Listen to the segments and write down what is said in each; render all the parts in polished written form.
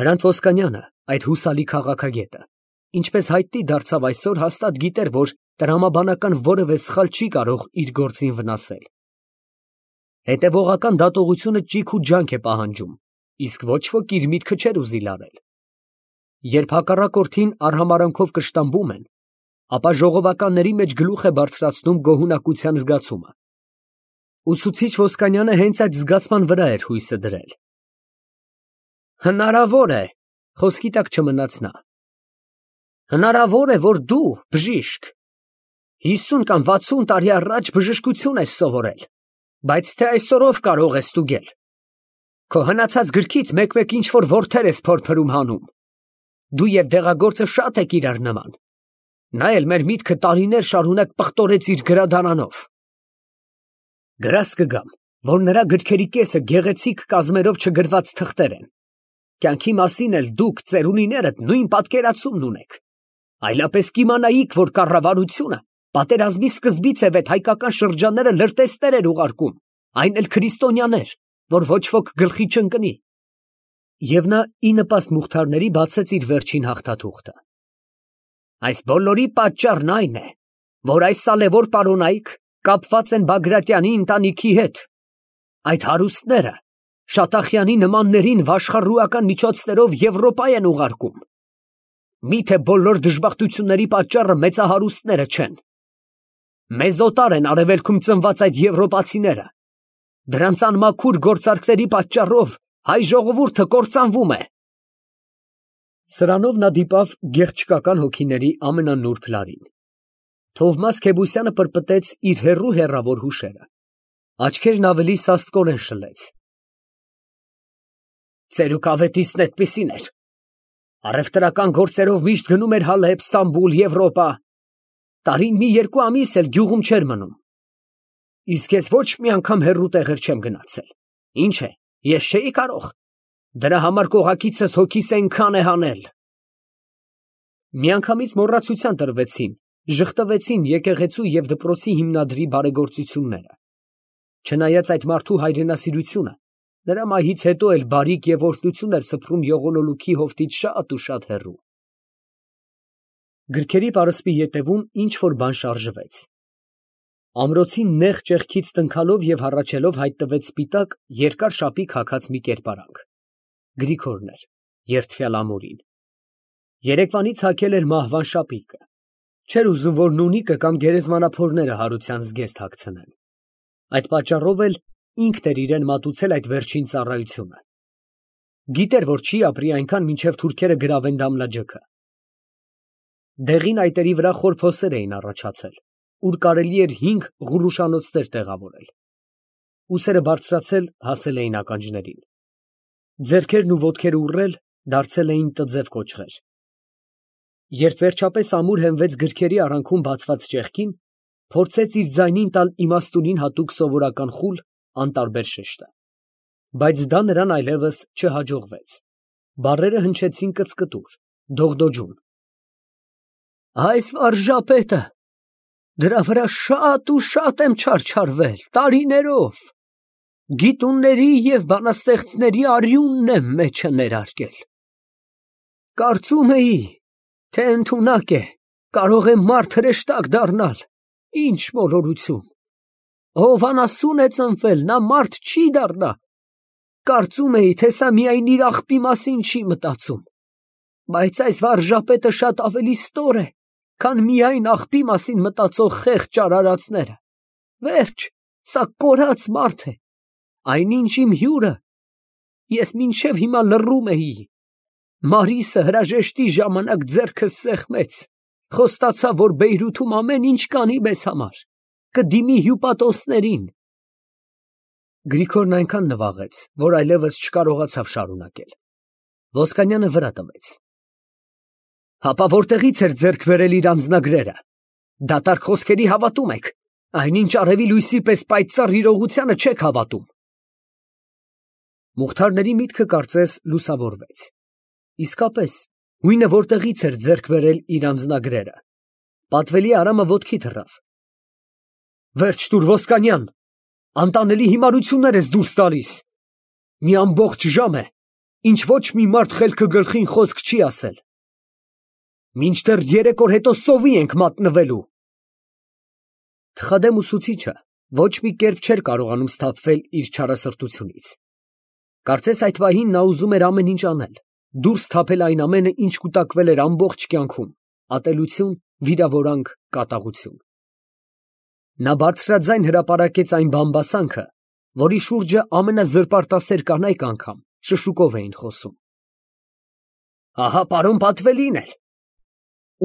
Հրանտ Ոսկանյանը, այդ հուսալի քաղաքագետը, ինչպես հայտնի դարձավ այսօր, հաստատ գիտեր, որ տրամաբանական որևէ սխալ չի կարող իր գործին վնասել։ Հետևողական դատողությունը ճիգ ու ջանք է պահանջում, իսկ ոչ ոք իր միտքը չէր ուզի լարել։ Երբ հակառակորդին արհամարանքով կշտամբում են, ապա ժողովականների մեջ գլուխ է բարձրացնում գոհունակության զգացումը։ Ուսուցիչ Ոսկանյանը հենց այդ զգացման վրա էր հույսը դրել։ Հնարավոր է, խոսքի տակ չմնաց նա։ Հնարավոր է, որ դու, բժիշկ, 50 կամ 60 տարի առաջ բժշկություն ես սովորել, բայց թե այսօրով կարող ես ստուգել։ Քո հնացած գրքից մեկ-մեկ ինչ-որ որդեր ես փորփրում հանում։ Դու և դեղագործը շատ եք իրար նման։ Նա էլ մեր միտքը տարիներ շարունակ պղտորեց իր գրադարանով։ Գրաս կգամ, որ նրա գրքերի կեսը գեղեցիկ կազմերով չգրված թղթեր են։ Կյանքի մասին էլ դուք, ծերունիներդ, նույն պատկերացումն ունեք։ Այլապես կիմանայիք, որ կառավարությունը պատերազմի սկզբից է վեթ հայկական շրջանները լրտեսներ էր ուղարկում, այն էլ քրիստոնյաներ, որ ոչ ոք գլխի չընկնի։ Եվ նա ի նպաստ Մուխթարների բացեց իր վերջին հաղթաթուղթը։ Այս բոլորի պատճառն այն է, որ այս սալևոր պարոնայք կապված են Բագրատյանի ընտանիքի հետ։ Այդ հարուստները Շատախյանի նմաններին վաշխառուական միջոցներով Եվրոպա են ուղարկում։ Միթե բոլոր դժբախտությունների պատճառը մեծահարուստները չեն։ Մեզ օտար են արևելքում ծնված այդ եվրոպացիները։ Դրանց անմաքուր գործարքների պատճառով հայ ժողովուրդը կործանվում է։ Սրանով նա դիպավ գեղչկական հոգիների ամենանուրբ լարին։ Թովմաս Քեբուսյանը պրպտեց իր հեռավոր հուշերը։ Աչքերն ավելի սաստկորեն շլեց։ Ծերուկավետիցն այդպիսին էր։ Առևտրական գործերով միշտ գնում էր Հալեբ, Ստամբուլ, Եվրոպա։ Տարին մի երկու ամիս էլ գյուղում չէր մնում։ Իսկ ես ոչ մի անգամ հեռու տեղեր չեմ գնացել։ Ինչ է, ես չէի կարող։ Դրա համար կողակիցս հոգիս այնքան է հանել։ Միանգամից մոռացության տրվեցին, ժխտվեցին եկեղեցու և դպրոցի հիմնադրի բարեգործությունները։ Չնայած այդ մարդու հայրենասիրությունը, նրա մահից հետո էլ բարիք և օրհնություն էր սփռում եղունոլուքի հովտից շատ ու շատ հեռու։ Գրքերի պարսպի ետևում ինչ-որ բան շարժվեց։ Ամրոցի նեղ ճեղքից տնքալով և հառաչելով հայտնվեց սպիտակ, երկար շապիկ հագած մի կերպարանք։ Գրիգորն էր, երդվյալ ամուրին։ Երեկվանից հագել էր մահվան շապիկը։ Չէր ուզում, որ նունիկը կամ գերեզմանափորները հարության զգեստ հագցնեն։ Այդ պատճառով էլ ինքն էր իրեն մատուցել այդ վերջին ծառայությունը։ Գիտեր, որ չի ապրի այնքան, մինչև թուրքերը գրավեն Դամլաջոկը։ Դեղին այտերի վրա խոր փոսեր էին առաջացել, ուր կարելի էր 5 ղուռուշանոցներ տեղավորել։ Ուսերը բարձրացել, հասել էին ականջներին։ Ձեռքերն ու ոտքերը ուռել, դարձել էին տձև կոճղեր։ Երբ վերջապես ամուր հենվեց գրքերի արանքում բացված ճեղքին, փորձեց իր ձայնին տալ իմաստունին հատուկ սովորական խուլ, անտարբեր շեշտը։ Բայց դա նրան այլևս չհաջողվեց։ Բառերը հնչեցին կծկտուր, դողդոջուն։ Այս վարժապետը, դրա վրա շատ ու շատ եմ չարչարվել, տարիներով։ Գիտունների և բանաստեղծների արյունն եմ մեջը ներարկել։ Կարծում էի, թե ընդունակ է, կարող է մարդ հրեշտակ դառնալ, ինչ մոլորություն։ Ով անասուն է ծնվել, նա մարդ չի դառնա։ Կարծում էի, թե սա միայն իր աղբի մասին չի մտածում, բայց այս վարժապետը շատ ավելի ստոր է, քան միայն աղբի մասին մտածող խեղճ արարածները։ Վերջ, սա կորած մարդ է, այնինչ իմ հյուրը, ես մինչև հիմա լռում էի։ Մարիսը հրաժեշտի ժամանակ ձեռքս սեղմեց, խոստացավ, որ Բեյրութում ամեն ինչ կանի մեզ համար, կդիմի հյուպատոսներին։ Գրիգորն այնքան նվաղեց, որ այլևս չկարողացավ շարունակել։ Ոսկանյանը վրա տվեց։ Հապա որտեղից էր ձեռք բերել իր անձնագրերը։ Դատարկ խոսքերի հավատում եք, այնինչ արևի լույսի պես պայծառ իրողությանը չեք հավատում։ Մուխթարների միտքը կարծես լուսավորվեց։ Իսկապես, հույնը որտեղից էր ձեռք բերել իր անձնագրերը։ Պատվելի Արամը ոտքի թռավ։ Վերջ տուր, Ոսկանյան, անտանելի հիմարություններ ես դուրս տալիս։ Մի ամբողջ ժամ է, ինչ ոչ մի մարդ խելքը գլխին խոսք չի ասել։ Մինչդեռ 3 օր հետո սովի ենք մատնվելու։ Թխադեմ ուսուցիչը ոչ մի կերպ չէր կարողանում սթափվել իր չարասրտությունից։ Կարծես այդ պահին նա ուզում էր ամեն ինչ անել, դուրս թափել այն ամենը, ինչ կուտակվել էր ամբողջ կյանքում, ատելություն, վիրավորանք, կատաղություն։ Նա բարձրաձայն հրապարակեց այն բամբասանքը, որի շուրջը ամենազրպարտասեր կանայք անգամ շշուկով էին խոսում։ Ահա պարոն Պատվելին էլ։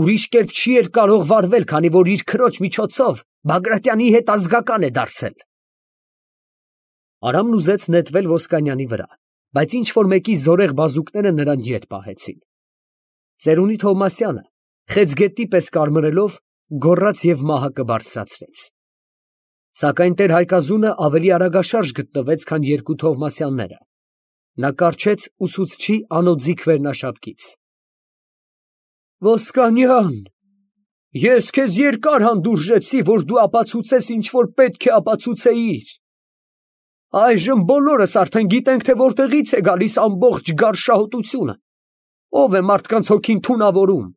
Ուրիշ կերպ չի էր կարող վարվել, քանի որ իր քրոջ միջոցով Բագրատյանի հետ ազգական է դարձել։ Արամն ուզեց նետվել Ոսկանյանի վրա, բայց ինչ որ մեկի զորեղ բազուկները նրան ետ պահեցին։ Ծերունի Թովմասյանը, խեցգետի պես կարմրելով, գոռաց և մահակը բարձրացրեց։ Սակայն տեր Հայկազունը ավելի արագաշարժ գտնվեց, քան երկու Թովմասյանները։ Նա կառչեց ուսուցչի անոձիք վերնաշապկից։ Ոսկանյան, ես քեզ երկար հանդուրժեցի, որ դու ապացուցես, ինչ որ պետք է ապացուցեիր։ Այժմ բոլորս արդեն գիտենք, թե որտեղից է գալիս ամբողջ գարշահոտությունը, ով է մարդկանց հոգին թունավորում։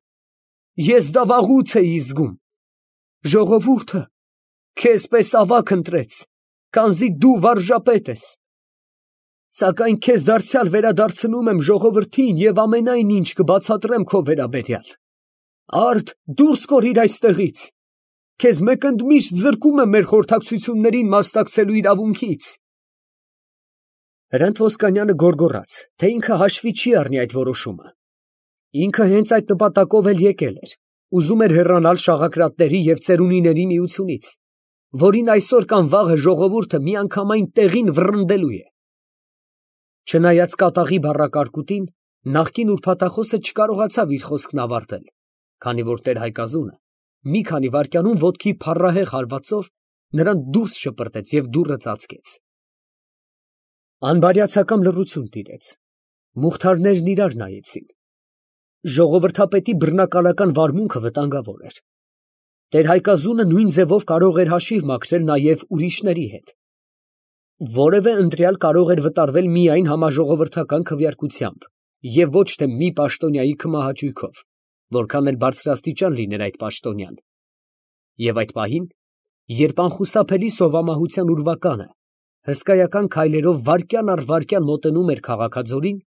Ես դա վաղուց էի զգում։ Ժողովուրդը քեզ պես ավագ ընտրեց, քանզի դու վարժապետ ես։ Սակայն քեզ դարձյալ վերադարձնում եմ ժողովրդին և ամենայն ինչ կբացատրեմ քո վերաբերյալ։ Արդ դուրս կորիր այստեղից։ Քեզ մեկընդմիշտ զրկում եմ մեր խորհրդակցություններին մասնակցելու իրավունքից։ Հրանտ Ոսկանյանը գոռգոռաց, թե ինքը հաշվի չի առնի այդ որոշումը։ Ինքը հենց այդ նպատակով էլ եկել էր, ուզում էր հեռանալ շաղակրատների և ծերունիների միությունից, որին այսօր կամ վաղը ժողովուրդը միանգամայն տեղին վռնդելու է։ Չնայած կատաղի բառակարկուտին, նախկին ուրբաթախոսը չկարողացավ իր խոսքն ավարտել, քանի որ տեր Հայկազունը մի քանի վայրկյանում ոտքի փառահեղ հարվածով նրան դուրս շպրտեց և դուռը ծածկեց։ Անբարյացակամ լռություն տիրեց։ Մուխթարներն իրար նայեցին։ Ժողովրդապետի բռնակալական վարմունքը վտանգավոր էր։ Տեր Հայկազունը նույն ձևով կարող էր հաշիվ մաքրել նաև ուրիշների հետ։ Որևէ ընտրյալ կարող էր վտարվել միայն համաժողովրդական քվեարկությամբ և ոչ թե մի պաշտոնյայի քմահաճույքով, որքան էլ բարձրաստիճան լիներ այդ պաշտոնյան։ Եվ այդ պահին, երբ անխուսափելի սովամահության ուրվականը հսկայական քայլերով վայրկյան առ վայրկյան մոտենում էր քաղաքաձորին,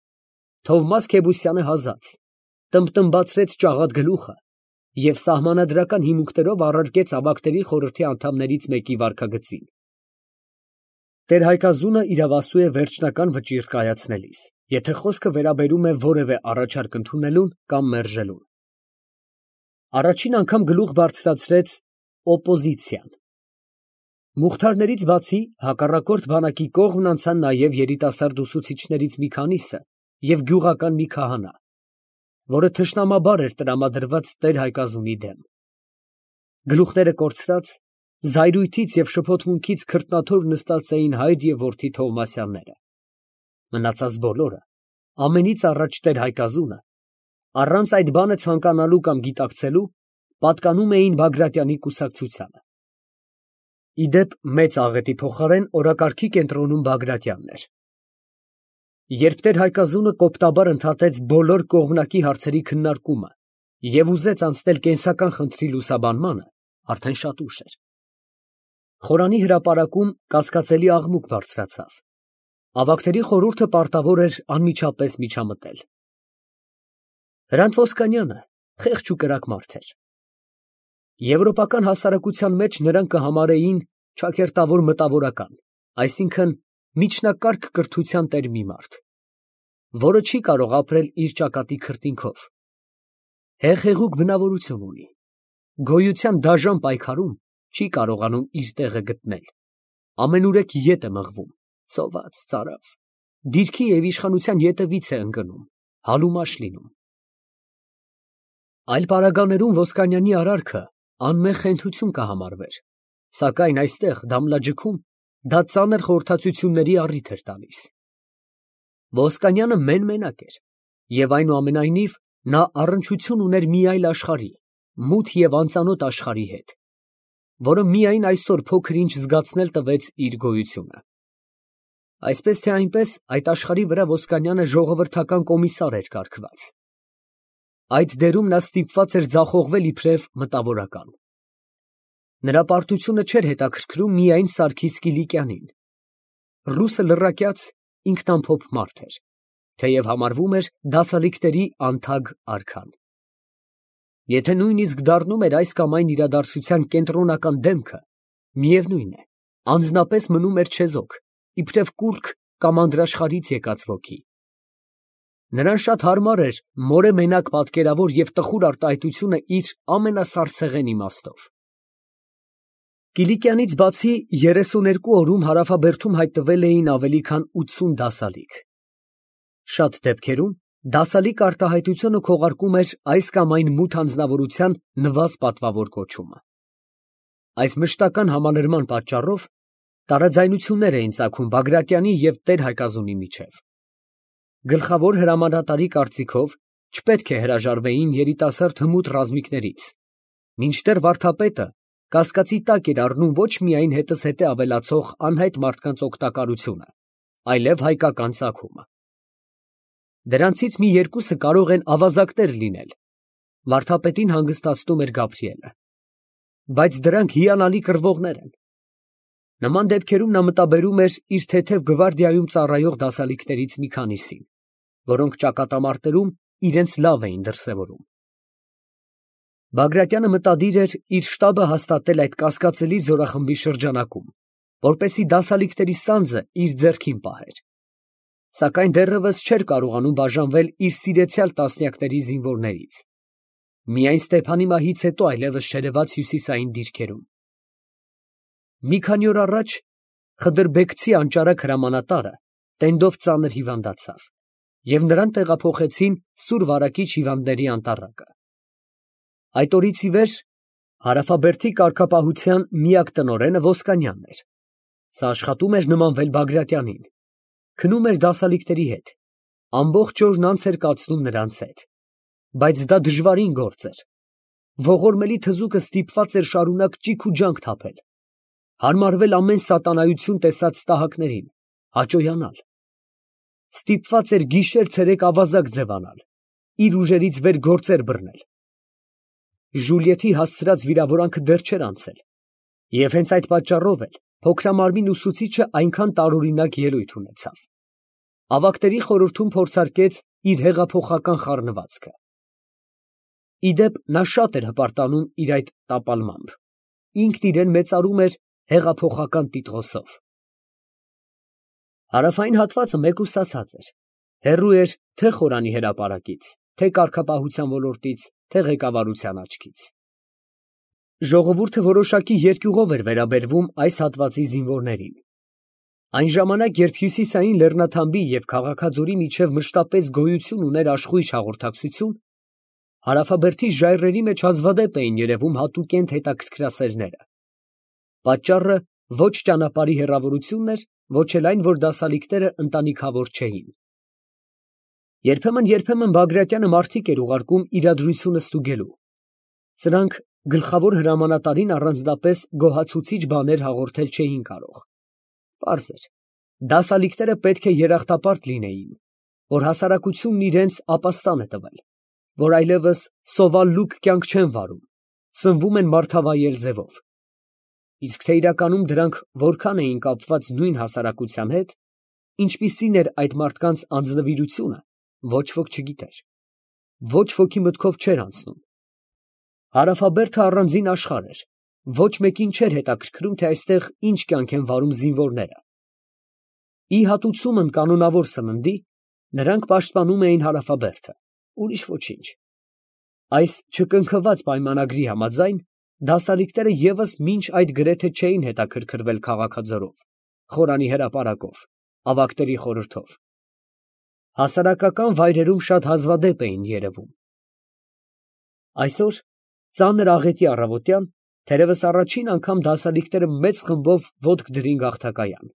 Թովմաս Քեբուսյանը հազաց, տմբտմբացրեց ճաղատ գլուխը և սահմանադրական հիմունքներով առարկեց ավագների խորհրդի անդամներից մեկի վարքագծին։ Տեր Հայկազունը իրավասու է վերջնական վճիռ կայացնելիս, եթե խոսքը վերաբերում է որևէ առաջարկ ընդունելուն կամ մերժելուն։ Առաջին անգամ գլուխ բարձրացրեց օպոզիցիան։ Մուխթարներից բացի հակառակորդ բանակի կողմն անցան նաև երիտասարդ ուսուցիչներից մի քանիսը և գյուղական մի քահանա, որը թշնամաբար էր տրամադրված տեր Հայկազունի դեմ։ Գլուխները կորցրած, զայրույթից և շփոթմունքից քրտնաթոր նստած էին հայր և որդի Թովմասյանները։ Մնացած բոլորը, ամենից առաջ տեր Հայկազունը, առանց այդ բանը ցանկանալու կամ գիտակցելու, պատկանում էին Բագրատյանի կուսակցությանը։ Իդեպ մեծ աղետի փոխարեն օրակարգի կենտրոնում Բագրատյանն էր։ Երբ տեր Հայկազունը կոպտաբար ընդհատեց բոլոր կողմնակի հարցերի քննարկումը և ուզեց անցնել կենսական խնդրի լուսաբանմանը, արդեն շատ ուշ էր։ Խորանի հրապարակում կասկածելի աղմուկ բարձրացավ։ Ավագների խորհուրդը պարտավոր էր անմիջապես միջամտել։ Հրանտ Ոսկանյանը խեղճ ու կրակ մարդ էր։ Եվրոպական հասարակության մեջ նրան կհամարեին ճակերտավոր մտավորական, այսինքն միջնակարգ կրթության տեր մի մարդ, որը չի կարող ապրել իր ճակատի քրտինքով։ Հեղեղուկ բնավորություն ունի, գոյության դաժան պայքարում չի կարողանում իր տեղը գտնել, ամենուրեք ետ է մղվում, սոված, ծարավ, դիրքի և իշխանության ետևից է ընկնում, հալումաշ լինում։ Այլ պարագաներում Ոսկանյանի արարքը անմեղ խենթություն կհամարվեր, սակայն այստեղ Դամլաջքում դա ծանր խորհրդածությունների առիթ էր տալիս։ Ոսկանյանը մեն֊մենակ էր, և այնուամենայնիվ նա առնչություն ուներ մի այլ աշխարհի, մութ և անծանոթ աշխարհի հետ, որը միայն այսօր փոքր ինչ զգացնել տվեց իր գոյությունը։ Այսպես թե այնպես այդ աշխարհի վրա Ոսկանյանը ժողովրդական կոմիսար էր կարգված։ Այդ դերում նա ստիպված էր ձախողվել իբրև մտավորական։ Նրա պարտությունը չէր հետաքրքրում միայն Սարգիս Կիլիկյանին։ Ռուսը լռակյաց ինքնամփոփ մարդ էր, թեև համարվում էր դասալիկների անթագ արքան։ Եթե նույնիսկ դառնում էր այս կամ այն իրադարձության կենտրոնական դեմքը, միևնույն է, անձնապես մնում էր չեզոք, իբրև կուռք կամ անդրաշխարհից եկած ոգի։ Նրան շատ հարմար էր մորե մենակ պատկերավոր և տխուր արտահայտությունը իր ամենասարսեղեն իմաստով։ Կիլիկյանից բացի 32 օրում հարավաբերդում հայտնվել էին ավելի քան 80 դասալիկ։ Շատ դեպքերում դասալիկ արտահայտությունը քողարկում էր այս կամ այն մութ անձնավորության նվազ պատվավոր կոչումը։ Այս մշտական համալրման պատճառով տարաձայնություններ էին ծագում Բագրատյանի և Տեր-Հայկազունի միջև։ Գլխավոր հրամանատարի կարծիքով չպետք է հրաժարվեին երիտասարդ հմուտ ռազմիկներից, մինչդեռ վարդապետը կասկածի տակ էր առնում ոչ միայն հետզհետե ավելացող անհայտ մարդկանց օգտակարությունը, այլև հայկական ծագումը։ Դրանցից մի երկուսը կարող են ավազակներ լինել, վարդապետին հանգստացնում էր Գաբրիելը, բայց դրանք հիանալի կռվողներ են։ Նման դեպքերում նա մտաբերում էր իր թեթև գվարդիայում ծառայող դասալիկներից մի քանիսին, որոնք ճակատամարտերում իրենց լավ էին դրսևորում։ Բագրատյանը մտադիր էր իր շտաբը հաստատել այդ կասկածելի զորախմբի շրջանակում, որպեսզի դասալիկների սանձը իր ձեռքին պահեր, սակայն դեռևս չէր կարողանում բաժանվել իր սիրեցյալ տասնյակների զինվորներից, միայն Ստեփանի մահից հետո այլևս չերևաց հյուսիսային դիրքերում։ Մի քանի օր առաջ Խդրբեկցի անճարակ հրամանատարը տենդով ծանր հիվանդացավ, և նրան տեղափոխեցին Սուր Վարակիչ հիվանդների անտառակը։ Այդ օրից ի վեր հարավաբերդի կարգապահության միակ տնօրենը Ոսկանյանն էր։ Սա աշխատում էր նմանվել Բագրատյանին, քնում էր դասալիկների հետ, ամբողջ օրն անց էր կացնում նրանց հետ, բայց դա դժվարին գործ էր։ Ողորմելի թզուկը ստիպված էր շարունակ ճիգ ու ջանք թափել, հարմարվել ամեն սատանայություն տեսած տահակներին, հաճոյանալ։ Ստիպված էր գիշեր֊ցերեկ ավազակ ձևանալ, իր ուժերից վեր գործեր բռնել։ Ժուլիեթի հասցրած վիրավորանքը դեռ չէր անցել, և հենց այդ պատճառով էլ փոքրամարմին ուսուցիչը այնքան տարօրինակ ելույթ ունեցավ։ Ավագների խորհրդում փորձարկեց իր հեղափոխական խառնվածքը։ Ի դեպ, նա շատ էր հպարտանում իր այդ տապալմամբ, ինքն իրեն մեծարում էր հեղափոխական տիտղոսով։ Հարավային հատվածը մեկուսացած էր, հեռու էր թե խորանի հրապարակից, թե կարգապահության ոլորտից, թե ղեկավարության աչքից։ Ժողովուրդը որոշակի երկյուղով էր վերաբերվում այս հատվածի զինվորներին։ Այն ժամանակ, երբ հյուսիսային լեռնաթամբի և Քաղաքաձորի միջև մշտապես գոյություն ուներ աշխույժ հաղորդակցություն, հարավաբերդի ժայռերի մեջ հազվադեպ էին երևում հատուկենտ հետաքրքրասերները։ Պատճառը ոչ ճանապարհի հեռավորությունն էր, ոչ էլ այն, որ դասալիկները ընտանիքավոր չէին։ Երբեմն Բագրատյանը մարդիկ էր ուղարկում իրադրությունը ստուգելու։ Սրանք գլխավոր հրամանատարին առանձնապես գոհացուցիչ բաներ հաղորդել չէին կարող։ Պարզ էր, դասալիկները պետք է երախտապարտ լինեին, որ հասարակությունն իրենց ապաստան է տվել, որ այլևս սովալ-լուկ կյանք չեն վարում, սնվում են մարդավայել ձևով։ Իսկ թե իրականում դրանք որքան էին կապված նույն հասարակության հետ, ինչպիսին էր այդ մարդկանց անձնվիրությունը, ոչ ոք չգիտեր, ոչ ոքի մտքով չէր անցնում։ Հարավաբերդը առանձին աշխարհ էր, ոչ մեկին չէր հետաքրքրում, թե այստեղ ինչ կյանք են վարում զինվորները։ Ի հատուցումն կանոնավոր սննդի, նրանք պաշտպանում էին հարավաբերդը, ուրիշ ոչինչ։ Այս չկնքված պայմանագրի համաձայն, դասալիկները ևս մինչ այդ գրեթե չէին հետաքրքրվել Քաղաքաձորով, խորանի հրապարակով, ավագների խորհրդով։ Հասարակական վայրերում շատ հազվադեպ էին երևում։ Այսօր, ծանր աղետի առավոտյան, թերևս առաջին անգամ դասալիկները մեծ խմբով ոտք դրին գաղթակայան։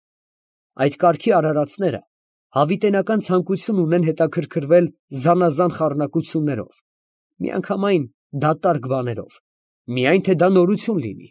Այդ կարգի արարածները հավիտենական ցանկություն ունեն հետաքրքրվել զանազան խառնակություններով, միանգամայն դատարկ բաներով, միայն թե դա նորություն լինի։